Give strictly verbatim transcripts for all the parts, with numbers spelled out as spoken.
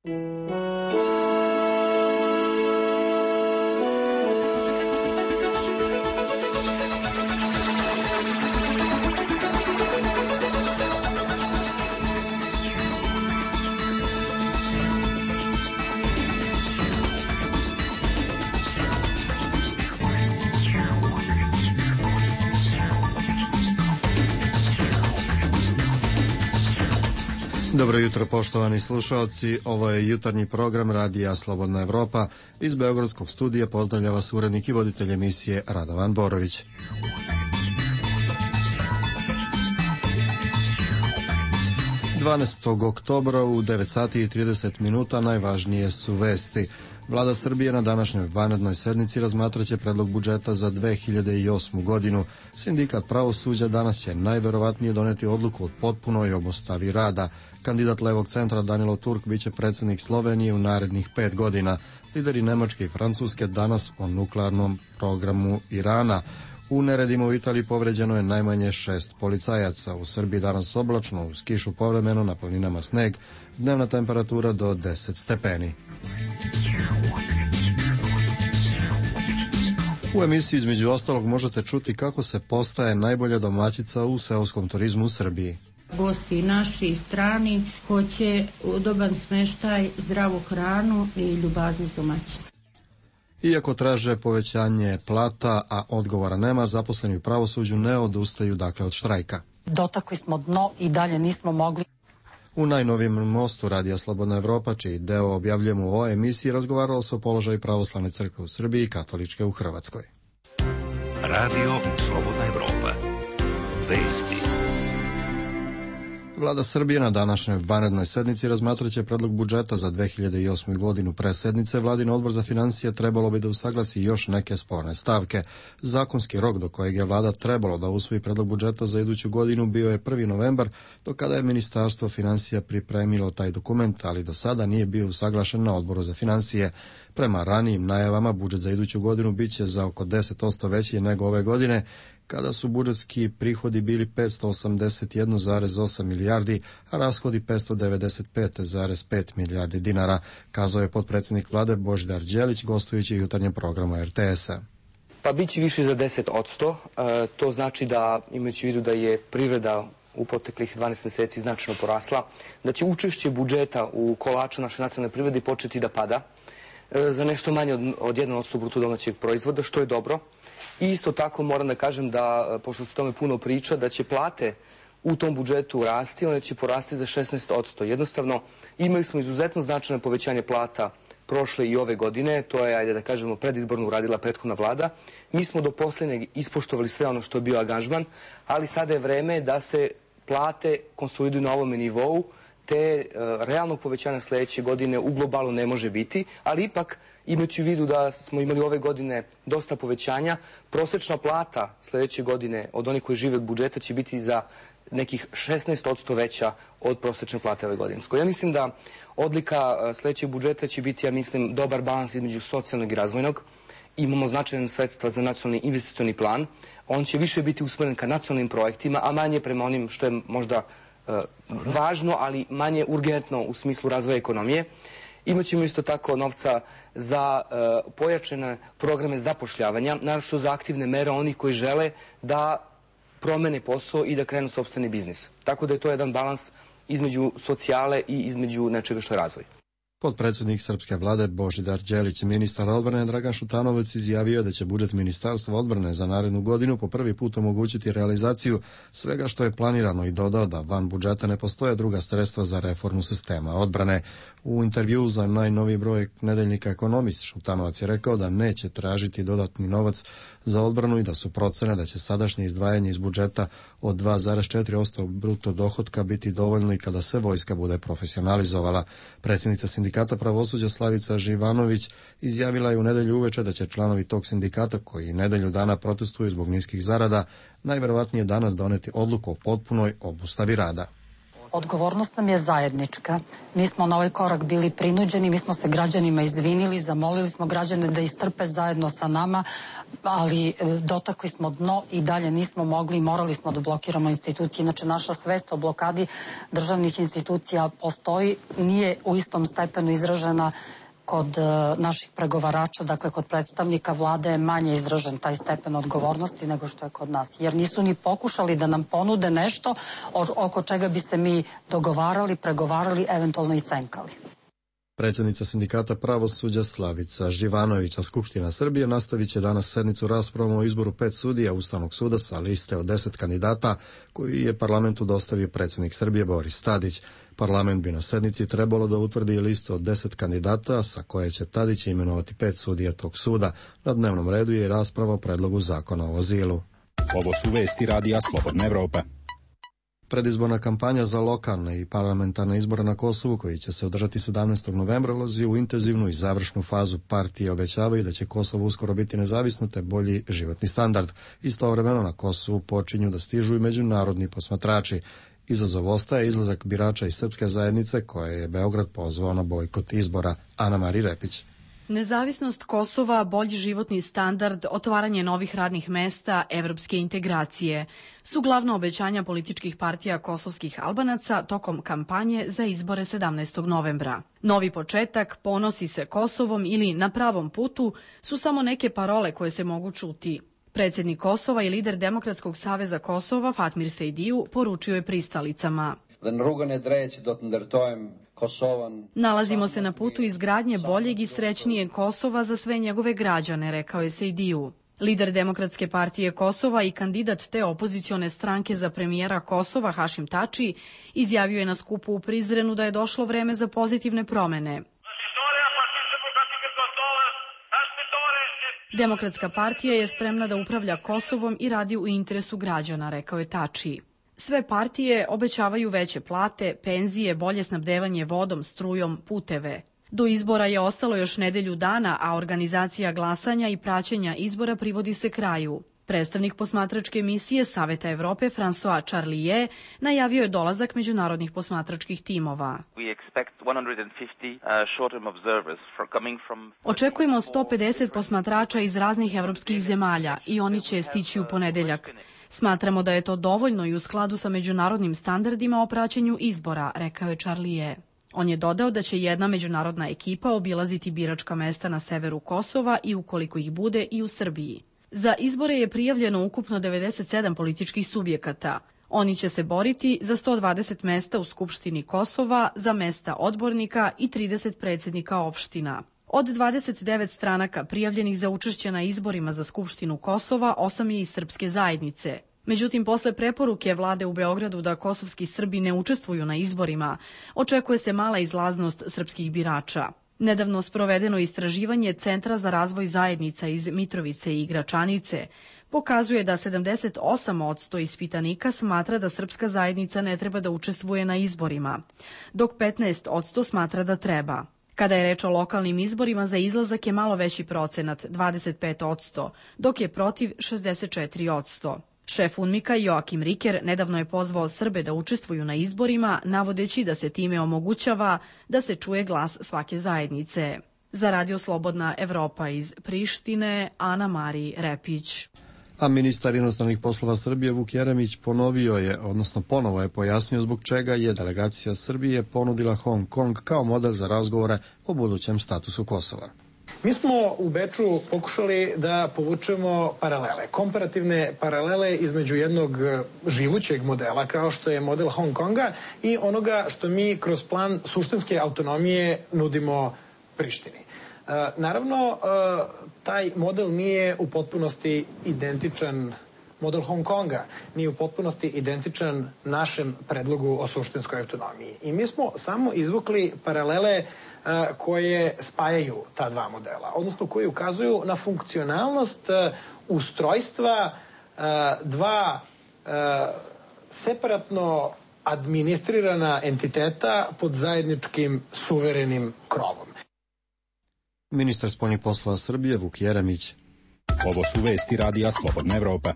Dobro jutro, poštovani slušalci. Ovo je jutarnji program Radija Slobodna Evropa. Iz beogradskog studija pozdravlja vas urednik i voditelj emisije Radovan Borović. dvanaestog oktobra u devet sati i trideset minuta najvažnije su vesti. Vlada Srbije na današnjoj vanrednoj sednici razmatraće predlog budžeta za dve hiljade osmu godinu. Sindikat pravosuđa danas će najverovatnije doneti odluku o potpunoj obustavi rada. Kandidat levog centra Danilo Turk biće predsjednik Slovenije u narednih pet godina. Lideri Nemačke i Francuske danas o nuklearnom programu Irana. U neredima u Italiji povređeno je najmanje šest policajaca. U Srbiji danas oblačno, uz kišu povremeno, na planinama sneg, dnevna temperatura do deset stepeni. U emisiji između ostalog možete čuti kako se postaje najbolja domaćica u seoskom turizmu u Srbiji. Gosti naši i strani hoće udoban smeštaj, zdravu hranu i ljubaznost domaćina. Iako traže povećanje plata, a odgovora nema, zaposleni u pravosuđu ne odustaju dakle od štrajka. Dotakli smo dno i dalje nismo mogli. U najnovijem mostu Radija Slobodna Evropa, čiji deo objavljujemo u ovoj emisiji, razgovaralo se o položaju pravoslavne crkve u Srbiji i katoličke u Hrvatskoj. Radio Slobodna Evropa. Vesti. Vlada Srbije na današnjoj vanrednoj sednici razmatraće predlog budžeta za dve hiljade osmu godinu. Pre sednice Vladin odbor za financije trebalo bi da usaglasi još neke sporne stavke. Zakonski rok do kojeg je vlada trebalo da usvoji predlog budžeta za iduću godinu bio je prvi novembar, do kada je Ministarstvo financija pripremilo taj dokument, ali do sada nije bio usaglašen na odboru za financije. Prema ranijim najavama, budžet za iduću godinu biće za oko deset posto veći nego ove godine, kada su budžetski prihodi bili petsto osamdeset jedan zarez osam milijardi, a rashodi petsto devedeset pet zarez pet milijardi dinara, kazao je potpredsjednik vlade Božidar Đelić gostujući u jutarnjem programu er te es-a. Pa biće više za deset posto. E, to znači da, imajući u vidu da je privreda u proteklih dvanaest meseci značajno porasla, da će učešće budžeta u kolaču naše nacionalne privrede početi da pada e, za nešto manje od, od jedan posto bruto domaćeg proizvoda, što je dobro. I isto tako moram da kažem da, pošto se tome puno priča, da će plate u tom budžetu rasti, one će porasti za šesnaest posto. Jednostavno, imali smo izuzetno značajno povećanje plata prošle i ove godine, to je, ajde da kažemo, predizborno uradila prethodna vlada. Mi smo do poslednjeg ispoštovali sve ono što je bio angažman, ali sada je vreme da se plate konsoliduju na ovome nivou, te uh, realnog povećanja sledeće godine u globalu ne može biti, ali ipak, imajući u vidu da smo imali ove godine dosta povećanja, prosečna plata sledeće godine od onih koji žive od budžeta će biti za nekih šesnaest posto veća od prosečne plate ove godine. Ja mislim da odlika sledećeg budžeta će biti, ja mislim, dobar balans između socijalnog i razvojnog. Imamo značajne sredstva za nacionalni investicioni plan. On će više biti usmeren ka nacionalnim projektima, a manje prema onim što je možda uh, važno, ali manje urgentno u smislu razvoja ekonomije. Imaćemo isto tako novca za uh, pojačane programe zapošljavanja, naročito za aktivne mere onih koji žele da promene posao i da krenu sopstveni biznis. Tako da je to jedan balans između socijale i između nečega što je razvoj. Potpredsjednik srpske vlade Božidar Đelić, ministar odbrane Dragan Šutanovac izjavio da će budžet Ministarstva odbrane za narednu godinu po prvi put omogućiti realizaciju svega što je planirano i dodao da van budžeta ne postoje druga sredstva za reformu sistema odbrane. U intervjuu za najnoviji broj nedeljnika Ekonomist Šutanovac je rekao da neće tražiti dodatni novac za odbranu i da su procene da će sadašnje izdvajanje iz budžeta od dva zarez četiri posto bruto dohotka biti dovoljno i kada se vojska bude profesionalizovala. Predsjednica sindikata pravosuđa Slavica Živanović izjavila je u nedelju uveče da će članovi tog sindikata koji nedelju dana protestuju zbog niskih zarada najverovatnije danas doneti odluku o potpunoj obustavi rada. Odgovornost nam je zajednička. Mi smo na ovaj korak bili prinuđeni, mi smo se građanima izvinili, zamolili smo građane da istrpe zajedno sa nama, ali dotakli smo dno i dalje nismo mogli i morali smo da blokiramo institucije. Inače, naša svest o blokadi državnih institucija postoji, nije u istom stepenu izražena kod naših pregovarača, dakle kod predstavnika vlade je manje izražen taj stepen odgovornosti nego što je kod nas. Jer nisu ni pokušali da nam ponude nešto oko čega bi se mi dogovarali, pregovarali, eventualno i cenkali. Predsjednica sindikata pravosuđa Slavica Živanović, a Skupština Srbije nastavit će danas sednicu raspravom o izboru pet sudija Ustavnog suda sa liste od deset kandidata koji je parlamentu dostavio predsjednik Srbije Boris Tadić. Parlament bi na sednici trebalo da utvrdi listu od deset kandidata sa koje će Tadić imenovati pet sudija tog suda. Na dnevnom redu je rasprava o predlogu zakona o azilu. Ovo su vesti radija Slobodna Evropa. Predizborna kampanja za lokalne i parlamentarne izbore na Kosovu, koji će se održati sedamnaestog novembra, ulazi u intenzivnu i završnu fazu. Partije obećavaju da će Kosovo uskoro biti nezavisno te bolji životni standard. Istovremeno na Kosovu počinju da stižu i međunarodni posmatrači. Izazov ostaje izlazak birača iz srpske zajednice koje je Beograd pozvao na bojkot izbora. Ana Mari Repić. Nezavisnost Kosova, bolji životni standard, otvaranje novih radnih mesta, evropske integracije su glavna obećanja političkih partija kosovskih Albanaca tokom kampanje za izbore sedamnaestog novembra. Novi početak, ponosi se Kosovom ili na pravom putu su samo neke parole koje se mogu čuti. Predsjednik Kosova i lider Demokratskog saveza Kosova Fatmir Sejdiju poručio je pristalicama. Nalazimo se na putu izgradnje boljeg i srećnijeg Kosova za sve njegove građane, rekao je Sejdiju. Lider Demokratske partije Kosova i kandidat te opozicione stranke za premijera Kosova Hašim Tači izjavio je na skupu u Prizrenu da je došlo vreme za pozitivne promene. Demokratska partija je spremna da upravlja Kosovom i radi u interesu građana, rekao je Tači. Sve partije obećavaju veće plate, penzije, bolje snabdevanje vodom, strujom, puteve. Do izbora je ostalo još nedelju dana, a organizacija glasanja i praćenja izbora privodi se kraju. Predstavnik posmatračke misije Saveta Evrope François Charlier najavio je dolazak međunarodnih posmatračkih timova. Očekujemo sto pedeset posmatrača iz raznih evropskih zemalja i oni će stići u ponedeljak. Smatramo da je to dovoljno i u skladu sa međunarodnim standardima o praćenju izbora, rekao je Charlier. On je dodao da će jedna međunarodna ekipa obilaziti biračka mesta na severu Kosova i ukoliko ih bude i u Srbiji. Za izbore je prijavljeno ukupno devedeset sedam političkih subjekata. Oni će se boriti za sto dvadeset mesta u Skupštini Kosova, za mesta odbornika i trideset predsjednika opština. Od dvadeset devet stranaka prijavljenih za učešće na izborima za Skupštinu Kosova, osam je iz srpske zajednice. Međutim, posle preporuke vlade u Beogradu da kosovski Srbi ne učestvuju na izborima, očekuje se mala izlaznost srpskih birača. Nedavno sprovedeno istraživanje Centra za razvoj zajednica iz Mitrovice i Gračanice pokazuje da sedamdeset osam posto ispitanika smatra da srpska zajednica ne treba da učestvuje na izborima, dok petnaest posto smatra da treba. Kada je reč o lokalnim izborima, za izlazak je malo veći procenat, dvadeset pet posto, dok je protiv šezdeset četiri posto. Šef UNMIK-a Joakim Riker nedavno je pozvao Srbe da učestvuju na izborima, navodeći da se time omogućava da se čuje glas svake zajednice. Za Radio Slobodna Evropa iz Prištine, Ana Mari Repić. A ministar inostranih poslova Srbije Vuk Jeremić ponovio je, odnosno ponovo je pojasnio zbog čega je delegacija Srbije ponudila Hong Kong kao model za razgovore o budućem statusu Kosova. Mi smo u Beču pokušali da povučemo paralele, komparativne paralele između jednog živućeg modela kao što je model Hong Konga i onoga što mi kroz plan suštinske autonomije nudimo Prištini. Naravno, taj model nije u potpunosti identičan, model Hong Konga nije u potpunosti identičan našem predlogu o suštinskoj autonomiji. I mi smo samo izvukli paralele koje spajaju ta dva modela, odnosno koje ukazuju na funkcionalnost ustrojstva dva separatno administrirana entiteta pod zajedničkim suverenim krovom. Ministar spoljnih poslova Srbije Vuk Jeremić. Ovo su vesti radija Slobodna Evropa.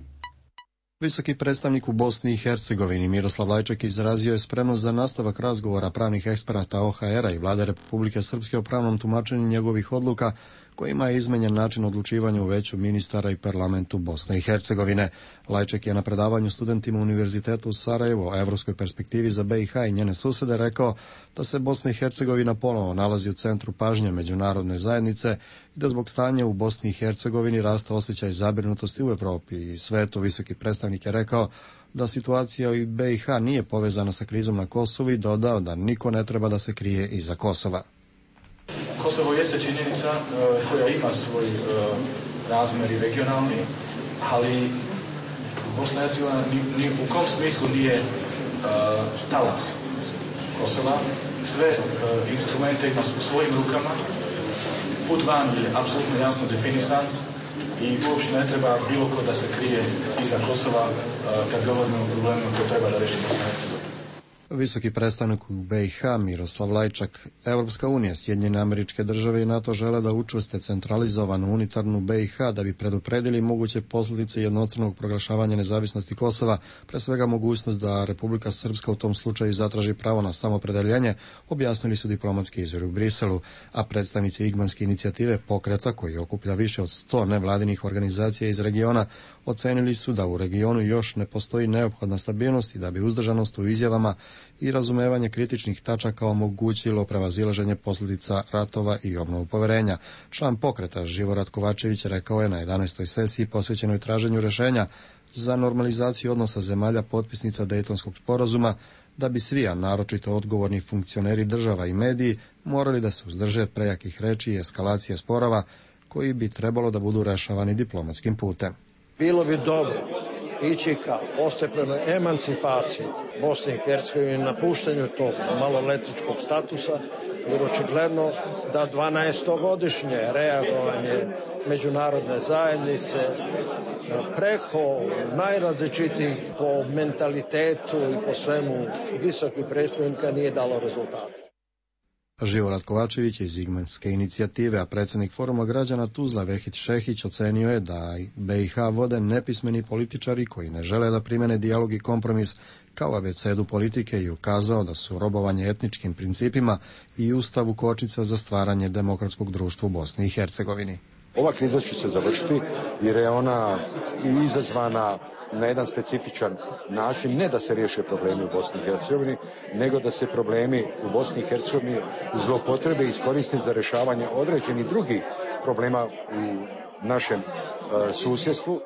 Visoki predstavnik u Bosni i Hercegovini Miroslav Lajčak izrazio je spremnost za nastavak razgovora pravnih eksperata O H R-a i Vlade Republike Srpske o pravnom tumačenju njegovih odluka kojima je izmenjen način odlučivanja u veću ministara i parlamentu Bosne i Hercegovine. Lajčak je na predavanju studentima Univerziteta u Sarajevu o evropskoj perspektivi za B i H i njene susede rekao da se Bosna i Hercegovina ponovo nalazi u centru pažnje međunarodne zajednice i da zbog stanja u Bosni i Hercegovini raste osjećaj zabrinutosti u Evropi i svetu. Visoki predstavnik je rekao da situacija u B i H nije povezana sa krizom na Kosovu i dodao da niko ne treba da se krije iza Kosova. Kosovo jeste činjenica uh, koja ima svoj uh, razmer i regionalni, ali Bosna i Hercegovina ni, ni u kom smislu nije uh, talac Kosova. Sve uh, instrumente ima u svojim rukama. Put van je apsolutno jasno definisan i uopšte ne treba bilo ko da se krije iza Kosova uh, kad govorimo o problemima koje treba da reši Bosna i Hercegovina. Visoki predstavnik u B i H Miroslav Lajčak. Evropska unija, Sjedinjene Američke Države i NATO žele da učvrste centralizovanu unitarnu B i H da bi predupredili moguće posljedice jednostranog proglašavanja nezavisnosti Kosova, pre svega mogućnost da Republika Srpska u tom slučaju zatraži pravo na samopredeljenje, objasnili su diplomatski izvori u Briselu, a predstavnici Igmanske inicijative pokreta, koji okuplja više od sto nevladinih organizacija iz regiona, ocenili su da u regionu još ne postoji neophodna stabilnost i da bi uzdržanost u izjavama i razumevanje kritičnih tačaka omogućilo prevazilaženje posljedica ratova i obnovu poverenja. Član pokreta Živorad Kovačević rekao je na jedanaestoj sesiji posvećenoj traženju rešenja za normalizaciju odnosa zemalja potpisnica Dejtonskog sporazuma da bi svi, a naročito odgovorni funkcioneri država i mediji, morali da se uzdrže od prejakih reči i eskalacije sporova koji bi trebalo da budu rešavani diplomatskim putem. Bilo bi dobro ići ka postepenoj emancipaciji Bosne i Hercegovine, napuštanju tog maloletničkog statusa, jer očigledno da dvanaestogodišnje reagovanje međunarodne zajednice preko najrazličitijih po mentalitetu i po svemu visokih predstavnika nije dalo rezultata. Živorad Kovačević iz Igmanske inicijative, a predsjednik Foruma građana Tuzla Vehid Šehić ocenio je da B i H vode nepismeni političari koji ne žele da primene dijalog i kompromis kao abecedu politike i ukazao da su robovanje etničkim principima i ustavu kočnica za stvaranje demokratskog društva u Bosni i Hercegovini. Ova kriza će se završiti jer je ona izazvana na jedan specifičan način, ne da se riješe problemi u Bosni i Hercegovini, nego da se problemi u Bosni i Hercegovini zloupotrebe i iskoriste za rješavanje određenih drugih problema u našem uh, susjedstvu.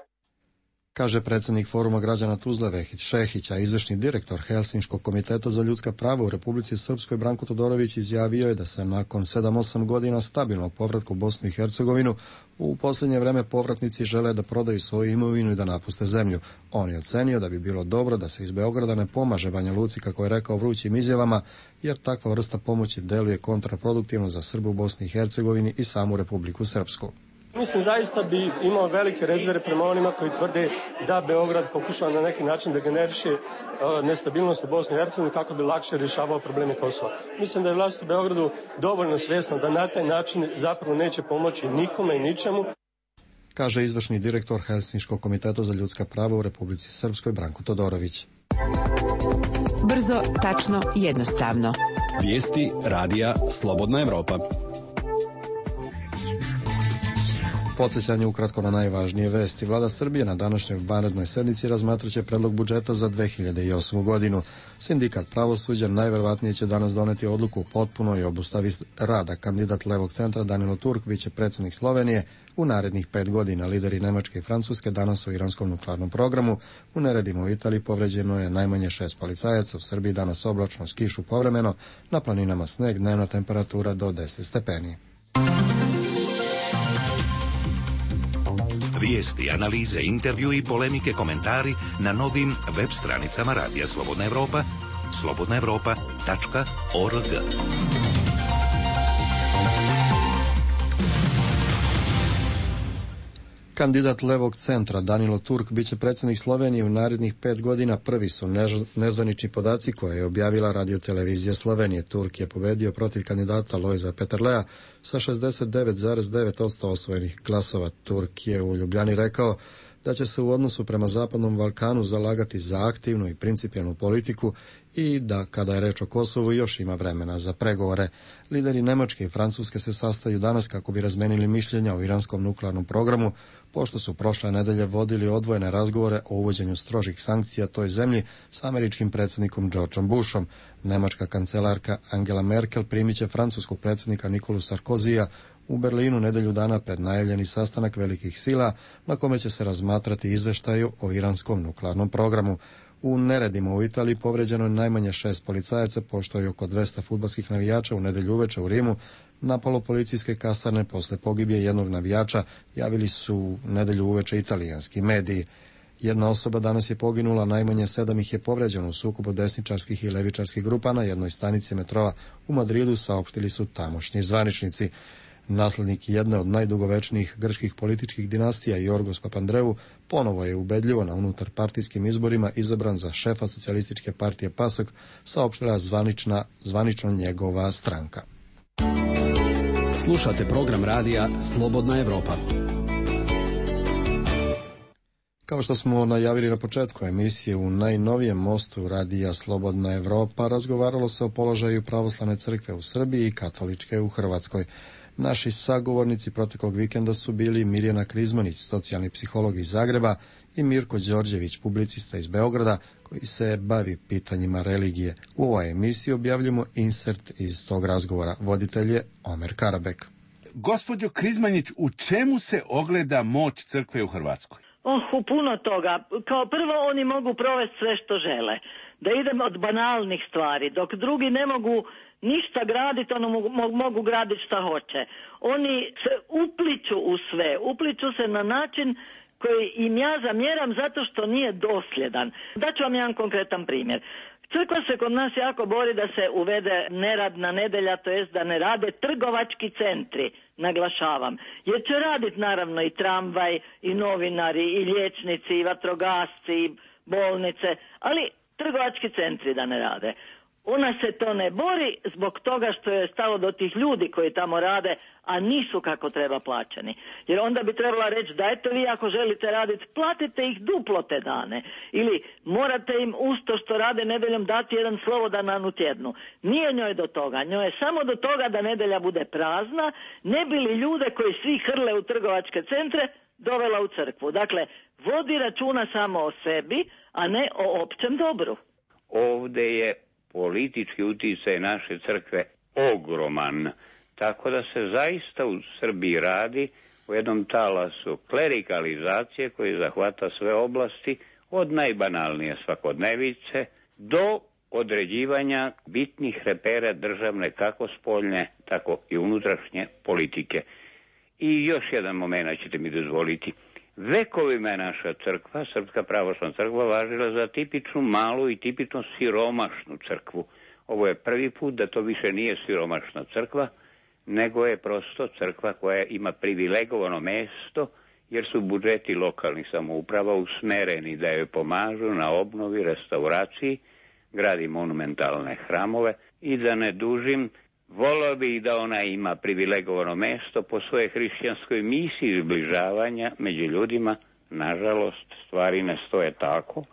Kaže predsjednik Foruma građana Tuzla Vehid Šehić, a izvršni direktor Helsinškog komiteta za ljudska prava u Republici Srpskoj Branko Todorović izjavio je da se nakon sedam osam godina stabilnog povratka u Bosnu i Hercegovinu u posljednje vreme povratnici žele da prodaju svoju imovinu i da napuste zemlju. On je ocenio da bi bilo dobro da se iz Beograda ne pomaže Banja Luci, kako je rekao vrućim izjavama, jer takva vrsta pomoći deluje kontraproduktivno za Srbe u Bosni i Hercegovini i samu Republiku Srpsku. Mislim, zaista bi imao velike rezerve prema onima koji tvrde da Beograd pokušava na neki način da generiše uh, nestabilnost u Bosni i Hercegovini kako bi lakše rješavao probleme Kosova. Mislim da je vlast u Beogradu dovoljno svjesna da na taj način zapravo neće pomoći nikome i ničemu. Kaže izvršni direktor Helsinškog komiteta za ljudska prava u Republici Srpskoj Branko Todorović. Brzo, tačno, jednostavno. Vijesti radija Slobodna Evropa. Podsjećanje ukratko na najvažnije vesti. Vlada Srbije na današnjoj vanrednoj sednici razmatraće predlog budžeta za dve hiljade osmu godinu. Sindikat pravosuđa najverovatnije će danas doneti odluku o potpunoj obustavi rada. Kandidat Levog centra Danilo Turk biće predsjednik Slovenije u narednih pet godina. Lideri Nemačke i Francuske danas o iranskom nuklearnom programu. U neredima u Italiji povređeno je najmanje šest policajaca. U Srbiji danas oblačno s kišu povremeno. Na planinama sneg, dnevna temperatura do deset stepeni. Vijesti, analize, intervju i polemike, komentari na novim web stranicama Radija Slobodna Evropa, slobodna evropa tačka org. Kandidat Levog centra Danilo Turk biće predsjednik Slovenije u narednih pet godina. Prvi su nezvanični podaci koje je objavila radiotelevizija Slovenije. Turk je pobedio protiv kandidata Lojza Peterlea sa šezdeset devet zarez devet posto osvojenih glasova. Turk je u Ljubljani rekao da će se u odnosu prema Zapadnom Balkanu zalagati za aktivnu i principijelnu politiku i da, kada je reč o Kosovu, još ima vremena za pregovore. Lideri Nemačke i Francuske se sastaju danas kako bi razmenili mišljenja o iranskom nuklearnom programu, pošto su prošle nedelje vodili odvojene razgovore o uvođenju strožih sankcija toj zemlji s američkim predsjednikom Georgeom Bushom. Nemačka kancelarka Angela Merkel primit će francuskog predsjednika Nikolu Sarkozija u Berlinu nedelju dana pred najavljeni sastanak velikih sila na kome će se razmatrati izveštaju o iranskom nuklearnom programu. U neredima u Italiji povređeno je najmanje šest policajaca, pošto je oko dvesta fudbalskih navijača u nedelju uveče u Rimu napalo policijske kasarne posle pogibije jednog navijača, javili su nedelju uveče italijanski mediji. Jedna osoba danas je poginula, najmanje sedam ih je povređeno u sukobu desničarskih i levičarskih grupa na jednoj stanici metroa u Madridu, saopštili su tamošnji zvaničnici. Naslednik jedne od najdugovečnijih grčkih političkih dinastija, Jorgos Papandreou, ponovo je ubedljivo na unutarpartijskim izborima izabran za šefa socijalističke partije PASOK, saopštila zvanična, zvanično njegova stranka. Slušate program radija Slobodna Evropa. Kao što smo najavili na početku emisije, u najnovijem mostu radija Slobodna Evropa razgovaralo se o položaju pravoslavne crkve u Srbiji i katoličke u Hrvatskoj. Naši sagovornici proteklog vikenda su bili Mirjana Krizmanić, socijalni psiholog iz Zagreba, i Mirko Đorđević, publicista iz Beograda, koji se bavi pitanjima religije. U ovoj emisiji objavljamo insert iz tog razgovora. Voditelj je Omer Karabek. Gospođo Krizmanić, u čemu se ogleda moć crkve u Hrvatskoj? Oh, u puno toga. Kao prvo, oni mogu provesti sve što žele. Da idem od banalnih stvari, dok drugi ne mogu ništa graditi, ono mogu, mogu graditi šta hoće. Oni se upliču u sve, upliču se na način koji im ja zamjeram zato što nije dosljedan. Daću vam jedan konkretan primjer. Crkva se kod nas jako bori da se uvede neradna nedelja, to jest da ne rade trgovački centri, naglašavam. Jer će raditi naravno i tramvaj, i novinari, i liječnici, i vatrogasci, i bolnice, ali trgovački centri da ne rade. Ona se to ne bori zbog toga što je stalo do tih ljudi koji tamo rade, a nisu kako treba plaćeni. Jer onda bi trebala reći da eto vi ako želite raditi, platite ih duplo te dane. Ili morate im usto što rade nedeljom dati jedan slobodan dan u tjednu. Nije njoj do toga. Njoj je samo do toga da nedelja bude prazna, ne bi li ljude koji svi hrle u trgovačke centre dovela u crkvu. Dakle, vodi računa samo o sebi, a ne o općem dobru. Ovde je politički uticaj naše crkve ogroman, tako da se zaista u Srbiji radi o jednom talasu klerikalizacije koji zahvata sve oblasti, od najbanalnije svakodnevice do određivanja bitnih repera državne kako spoljne, tako i unutrašnje politike. I još jedan moment ćete mi dozvoliti. Vekovima je naša crkva, Srpska pravoslavna crkva, važila za tipičnu malu i tipično siromašnu crkvu. Ovo je prvi put da to više nije siromašna crkva, nego je prosto crkva koja ima privilegovano mesto, jer su budžeti lokalnih samouprava usmereni da joj pomažu na obnovi, restauraciji, gradi monumentalne hramove i da ne dužim, volio bih da ona ima privilegovano mesto po svojoj hrišćanskoj misiji zbližavanja među ljudima. Nažalost, stvari ne stoje tako.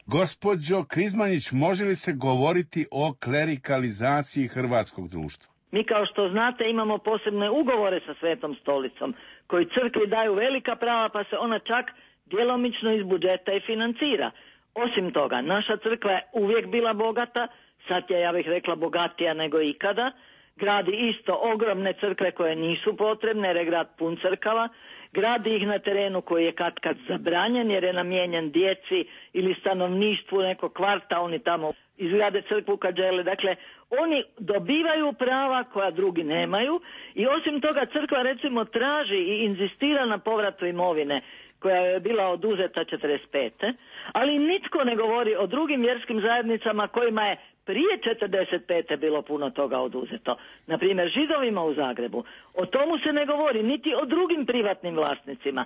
Gospođo Krizmanić, može li se govoriti o klerikalizaciji hrvatskog društva? Mi, kao što znate, imamo posebne ugovore sa Svetom stolicom, koji crkvi daju velika prava, pa se ona čak djelomično iz budžeta i financira. Osim toga, naša crkva je uvijek bila bogata, sad je, ja bih rekla, bogatija nego ikada. Gradi isto ogromne crkve koje nisu potrebne, jer je grad pun crkava. Gradi ih na terenu koji je katkad zabranjen, jer je namijenjen djeci ili stanovništvu nekog kvarta, oni tamo izgrade crkvu kad žele. Dakle, oni dobivaju prava koja drugi nemaju i osim toga crkva recimo traži i inzistira na povratu imovine koja je bila oduzeta četrdeset pete. Ali nitko ne govori o drugim vjerskim zajednicama kojima je prije četrdeset pete bilo puno toga oduzeto. Naprimjer, Židovima u Zagrebu. O tomu se ne govori, niti o drugim privatnim vlasnicima.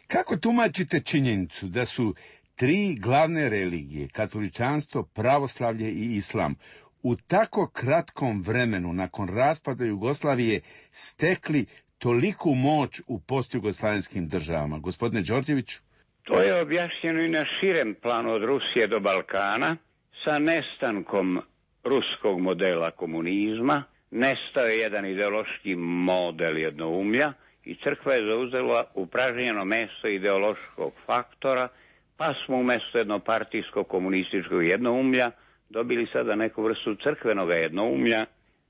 Kako tumačite činjenicu da su tri glavne religije, katoličanstvo, pravoslavlje i islam, u tako kratkom vremenu nakon raspada Jugoslavije stekli toliku moć u postjugoslavenskim državama? Gospodine Đorđeviću? To je objašnjeno i na širem planu od Rusije do Balkana sa nestankom ruskog modela komunizma. Nestao je jedan ideološki model jednoumlja i crkva je zauzela upražnjeno mesto ideološkog faktora, pa smo umjesto jednopartijskog komunističkog jednoumlja dobili sada neku vrstu crkvenog jednoumlja.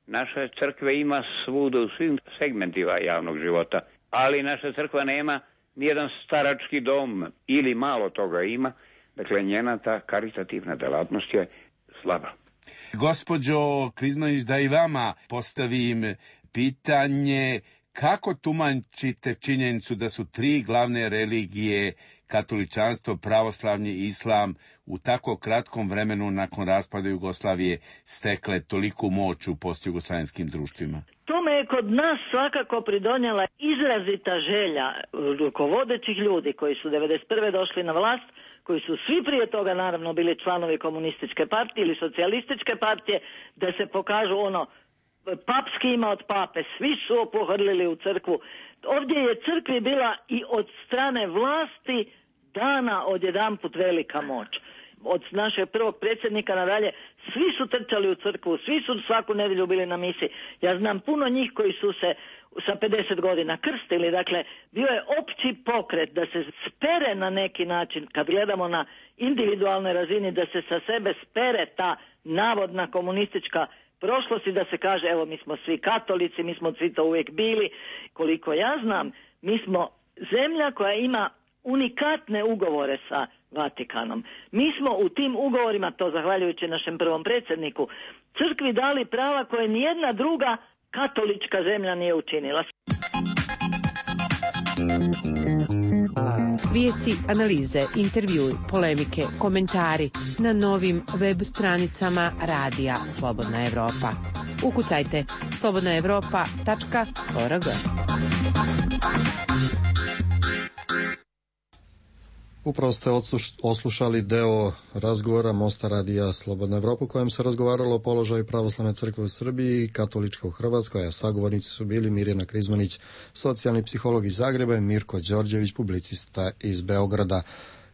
Naša crkva ima svuda u svim segmentima javnog života, ali naša crkva nema nijedan starački dom ili malo toga ima. Dakle, njena ta karitativna delatnost je slaba. Gospođo Krizmanić, da i vama postavim pitanje, kako tumačite činjenicu da su tri glavne religije, katoličanstvo, pravoslavlje i islam, u tako kratkom vremenu nakon raspada Jugoslavije stekle toliku moć u postjugoslavenskim društvima? Tome je kod nas svakako pridonijela izrazita želja rukovodećih ljudi koji su devedeset prve došli na vlast, koji su svi prije toga naravno bili članovi komunističke partije ili socijalističke partije, da se pokažu ono papski ima od pape, svi su opohrlili u crkvu. Ovdje je crkvi bila i od strane vlasti dana odjedanput velika moć. Od našeg prvog predsjednika nadalje, svi su trčali u crkvu, svi su svaku nedjelju bili na misi. Ja znam puno njih koji su se sa pedeset godina krstili, dakle, bio je opći pokret da se spere na neki način, kad gledamo na individualnoj razini, da se sa sebe spere ta navodna komunistička prošlost i da se kaže, evo, mi smo svi katolici, mi smo svi to uvijek bili. Koliko ja znam, mi smo zemlja koja ima unikatne ugovore sa Vatikanom. Mi smo u tim ugovorima, to zahvaljujući našem prvom predsjedniku, crkvi dali prava koje nijedna druga katolička zemlja nije učinila. Vijesti, analize, intervjui, polemike, komentari na novim web stranicama Radija Slobodna Evropa. Ukucajte slobodna evropa tačka org. Upravo ste oslušali deo razgovora Mosta Radija Slobodna Evropa u kojem se razgovaralo o položaju pravoslavne crkve u Srbiji i katolička u Hrvatskoj, a sagovornici su bili Mirjana Krizmanić, socijalni psiholog iz Zagreba, i Mirko Đorđević, publicista iz Beograda,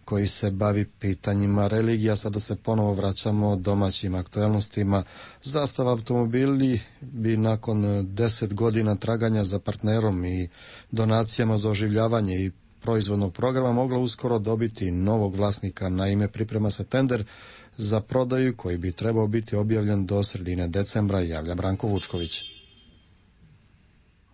koji se bavi pitanjima religija. Sada se ponovo vraćamo domaćim aktualnostima. Zastava automobili bi nakon deset godina traganja za partnerom i donacijama za oživljavanje i proizvodnog programa mogla uskoro dobiti novog vlasnika. Naime, priprema se tender za prodaju koji bi trebao biti objavljen do sredine decembra, javlja Branko Vučković.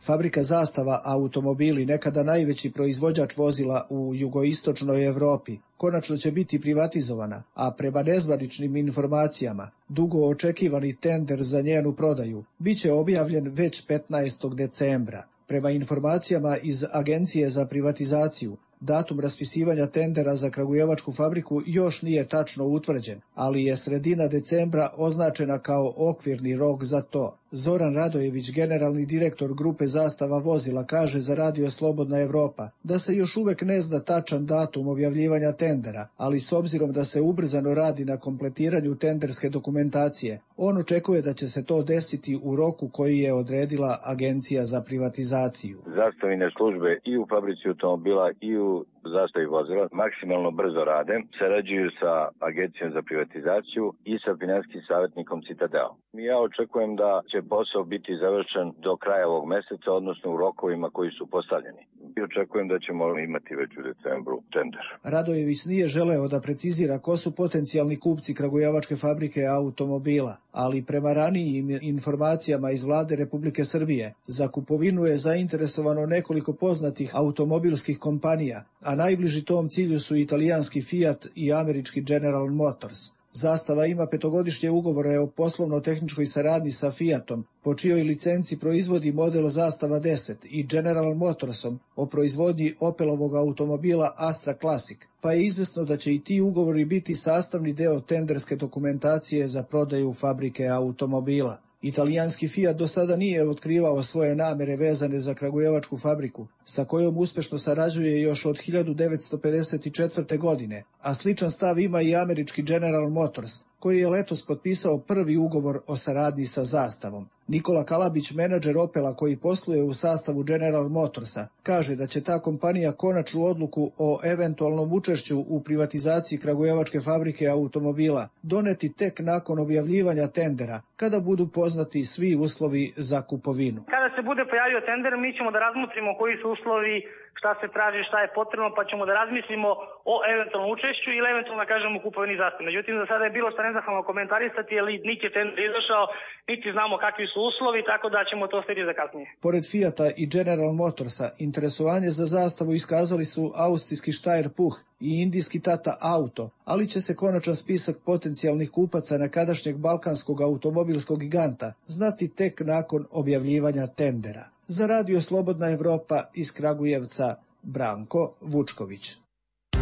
Fabrika Zastava automobili, nekada najveći proizvođač vozila u jugoistočnoj Evropi, konačno će biti privatizovana, a prema nezvaničnim informacijama, dugo očekivani tender za njenu prodaju biće objavljen već petnaestog decembra. Prema informacijama iz Agencije za privatizaciju, datum raspisivanja tendera za kragujevačku fabriku još nije tačno utvrđen, ali je sredina decembra označena kao okvirni rok za to. Zoran Radojević, generalni direktor grupe Zastava vozila, kaže za Radio Slobodna Evropa da se još uvek ne zna tačan datum objavljivanja tendera, ali s obzirom da se ubrzano radi na kompletiranju tenderske dokumentacije, on očekuje da će se to desiti u roku koji je odredila Agencija za privatizaciju. Zastavine službe i u fabrici automobila i u Zastavi vozila maksimalno brzo rade, sarađuju sa Agencijom za privatizaciju i sa finansijskim savjetnikom Citadel. Ja očekujem da će posao biti završen do kraja ovog meseca, odnosno u rokovima koji su postavljeni. I očekujem da ćemo imati već u decembru tender. Radojević nije želeo da precizira ko su potencijalni kupci kragujevačke fabrike automobila, ali prema ranijim informacijama iz vlade Republike Srbije, za kupovinu je zainteresovano nekoliko poznatih automobilskih kompanija, a najbliži tom cilju su italijanski Fiat i američki General Motors. Zastava ima petogodišnje ugovore o poslovno-tehničkoj saradnji sa Fiatom, po čijoj licenci proizvodi model Zastava deset, i General Motorsom o proizvodnji Opelovog automobila Astra Classic, pa je izvesno da će i ti ugovori biti sastavni deo tenderske dokumentacije za prodaju fabrike automobila. Italijanski Fiat do sada nije otkrivao svoje namere vezane za kragujevačku fabriku, sa kojom uspešno sarađuje još od hiljadu devetsto pedeset četvrte. godine, a sličan stav ima i američki General Motors, koji je letos potpisao prvi ugovor o saradnji sa Zastavom. Nikola Kalabić, menadžer Opela koji posluje u sastavu General Motorsa, kaže da će ta kompanija konačnu odluku o eventualnom učešću u privatizaciji kragujevačke fabrike automobila doneti tek nakon objavljivanja tendera, kada budu poznati svi uslovi za kupovinu. Kada se bude pojavio tender, mi ćemo da razmotrimo koji su uslovi, šta se traži, šta je potrebno, pa ćemo da razmislimo o eventualnom učešću ili eventualno da kažemo kupovini Zastave. Međutim, za sada je bilo što nezahvalno komentarisati, jer niti je tender izašao, niti znamo kakvi su uslovi, tako da ćemo to ostaviti za kasnije. Pored Fijata i General Motorsa, interesovanje za Zastavu iskazali su austrijski Steyr Puch i indijski Tata Auto, ali će se konačan spisak potencijalnih kupaca nekadašnjeg balkanskog automobilskog giganta znati tek nakon objavljivanja tendera. Za Radio Slobodna Evropa iz Kragujevca, Branko Vučković.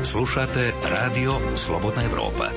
Slušate Radio Slobodna Evropa.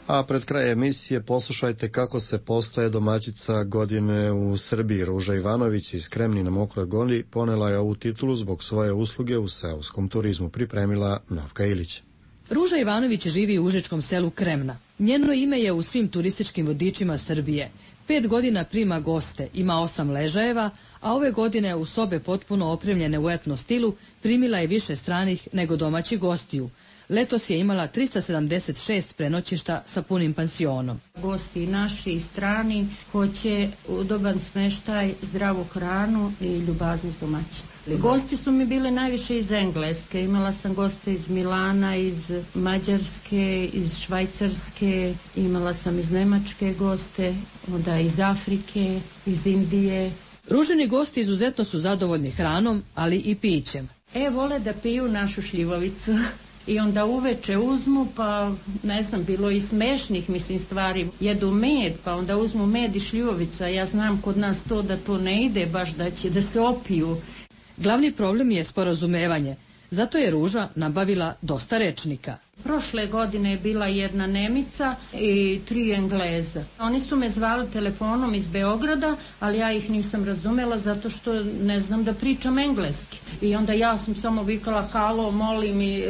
A pred kraj emisije poslušajte kako se postaje domaćica godine u Srbiji. Ruža Ivanović iz Kremni na Mokroj Gori ponela je ovu titulu zbog svoje usluge u seoskom turizmu, pripremila Novka Ilić. Ruža Ivanović živi u užičkom selu Kremna. Njeno ime je u svim turističkim vodičima Srbije. Pet godina prima goste, ima osam ležajeva, a ove godine u sobe potpuno opremljene u etno stilu primila je više stranih nego domaćih gostiju. Letos je imala trista sedamdeset šest prenoćišta sa punim pansionom. Gosti naši i strani hoće udoban smeštaj, zdravu hranu i ljubaznost domaćina. Gosti su mi bile najviše iz Engleske. Imala sam goste iz Milana, iz Mađarske, iz Švajcarske, imala sam iz Nemačke goste, onda iz Afrike, iz Indije. Ružini gosti izuzetno su zadovoljni hranom, ali i pićem. E, vole da piju našu šljivovicu. I onda uveče uzmu, pa ne znam, bilo i smešnih, mislim, stvari. Jedu med, pa onda uzmu med i šljivovicu, a ja znam kod nas to da to ne ide, baš da će da se opiju. Glavni problem je sporazumevanje, zato je Ruža nabavila dosta rečnika. Prošle godine je bila jedna Nemica i tri Engleza. Oni su me zvali telefonom iz Beograda, ali ja ih nisam razumela zato što ne znam da pričam engleski. I onda ja sam samo vikala halo, molim i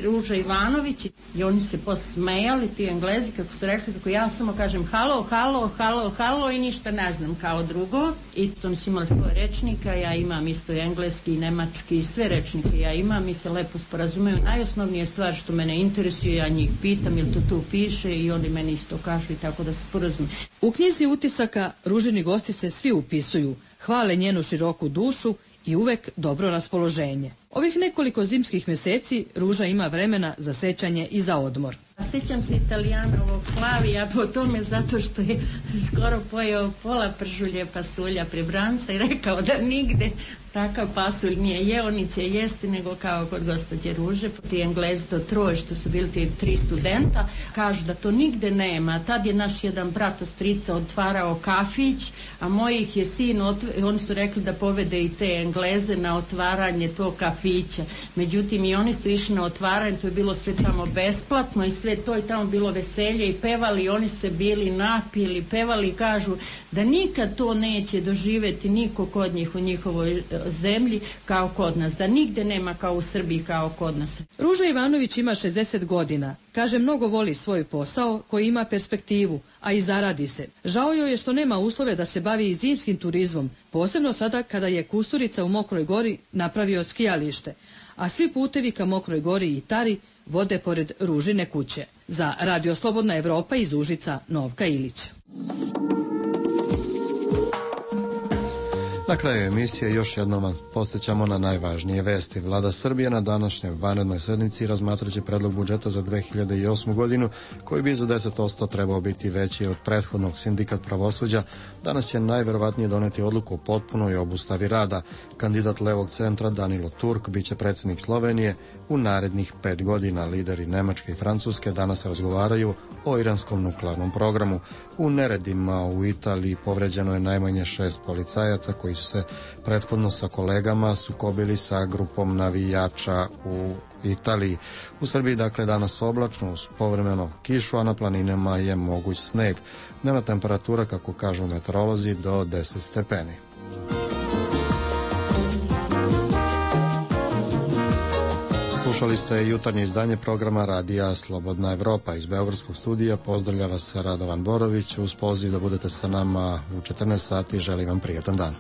Ruža Ivanović. I oni se posmejali, ti Englezi, kako su rekli, kako ja samo kažem halo, halo, halo, halo i ništa ne znam kao drugo. I to su imali svoje rečnika, ja imam isto engleski, nemački, sve rečnike ja imam i se lepo sporazumeju. Najosnovnije stvar što mene interesuje, ja njih pitam jel to tu piše i oni meni isto kažu i tako da se sporazum. U knjizi utisaka Ružini gosti se svi upisuju, hvale njenu široku dušu i uvek dobro raspoloženje. Ovih nekoliko zimskih meseci Ruža ima vremena za sećanje i za odmor. Sećam se Italijanovog Flavija po tome zato što je skoro pojeo pola pržulje pasulja pri Branca i rekao da nigde takav pasulj nije jeo, ni će jesti nego kao kod gospođe Ruže. Ti Englezi to troje što su bili ti tri studenta kažu da to nigde nema. Tad je naš jedan brat od strica otvarao kafić, a mojih je sin, otv... oni su rekli da povede i te Engleze na otvaranje tog kafića. Međutim i oni su išli na otvaranje, to je bilo sve tamo besplatno i sve to je tamo bilo veselje i pevali, oni se bili napili, pevali i kažu da nikad to neće doživeti niko kod njih u njihovoj zemlji kao kod nas, da nigde nema kao u Srbiji kao kod nas. Ruža Ivanović ima šezdeset godina. Kaže, mnogo voli svoj posao koji ima perspektivu, a i zaradi se. Žao joj je što nema uslove da se bavi i zimskim turizmom, posebno sada kada je Kusturica u Mokroj Gori napravio skijalište, a svi putevi ka Mokroj Gori i Tari vode pored Ružine kuće. Za Radio Slobodna Evropa iz Užica, Novka Ilić. Na kraju emisije još jednom vas posjećamo na najvažnije vesti. Vlada Srbije na današnjoj vanrednoj sednici razmatraće predlog budžeta za dve hiljade osmu godinu, koji bi za deset posto trebao biti veći od prethodnog. Sindikat pravosuđa danas će najverovatnije doneti odluku o potpunoj obustavi rada. Kandidat levog centra Danilo Turk biće predsjednik Slovenije u narednih pet godina. Lideri Nemačke i Francuske danas razgovaraju o iranskom nuklearnom programu. U neredima u Italiji povređeno je najmanje šest policajaca koji su se prethodno sa kolegama sukobili sa grupom navijača u Italiji. U Srbiji dakle danas oblačno uz povremeno kišu, a na planinama je moguć sneg. Dnevna temperatura, kako kažu meteorolozi, do deset stepeni. Slušali ste jutarnje izdanje programa Radija Slobodna Evropa. Iz beogradskog studija pozdravlja vas Radovan Borović. Uz poziv da budete sa nama u četrnaest sati želim vam prijatan dan.